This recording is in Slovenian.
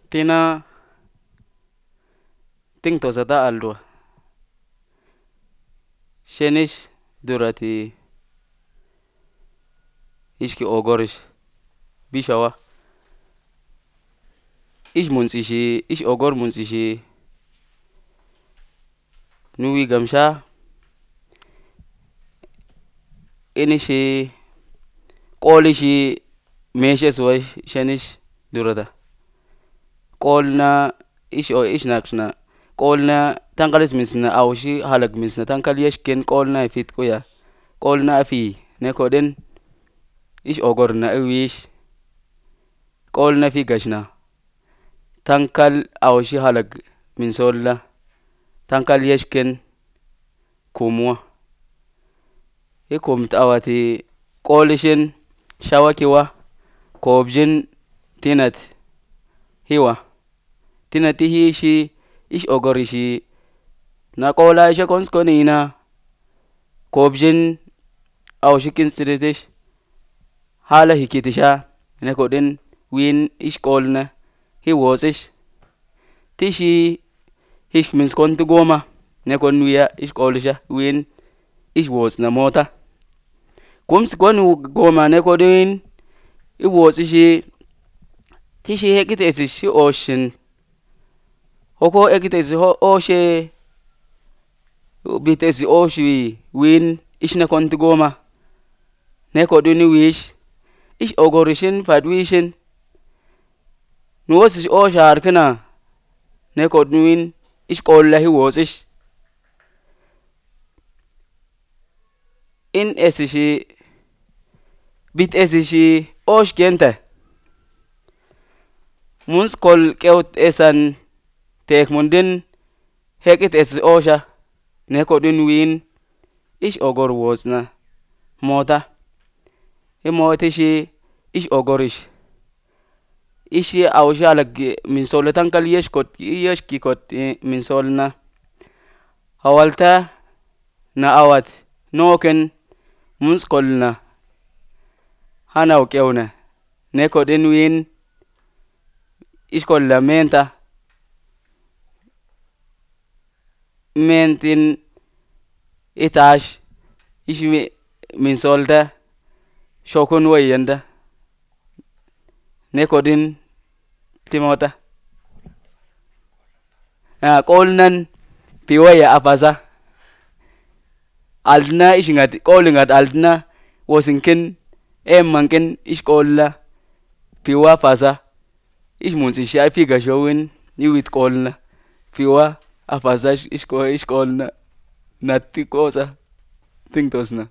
Tina ting tosata aldwa shenish durati ishki ogorish bishawa ish muntsishi ish ogor muntsishi nuwi gamsha inishi qolishi meshes way shenish durata qolna ish nakshna qolna tankalis misna awshi halak misna tankal yeshken qolna ifit kuya qolna afi nekoden ish ogorna awish qolna fi gashna tankal awshi halak min solla tankal yeshken kumwa ikum awati qolishin shawakiwa kobjin tinat hiwa tinati hishi ish ogorishi na qola isha konskonina kobjin awshi kinsiritish hala hikitisha nekoden win ish qolna hiwosish tishi ish miskonti goma nekon wiya ish qolisha win ish wosna mota kumsi kon goma nekodin iwosishi tishi hekitesish shi oshin hoko ekitesi oshe bitesi oshi win ish nekonti goma nekodin wish ish ogorishin fadwishin nuwosish osha arkina nekodin win ish qolla hiwosish in esishi bit esishi osh kenta muns kol kewt esan tek mundin hekit esi osha nekodin win ish ogor wosna mota imotishi ish ogorish ishi awshi halak min solla tankal yeshkikot min solna hawalta na awat noken muns kolna hanaw kewna nekodin win ish kolla menta mentin itash ish min solta shokun wayanda nekodin timota qolnan piwaya afasa aldna ish ngat qolingat aldna wosinken emanken ish qolla piwa fasa ish muntsishi afi gashowin niwit qolna piwa afasa ish qolna natti kosa ting tosna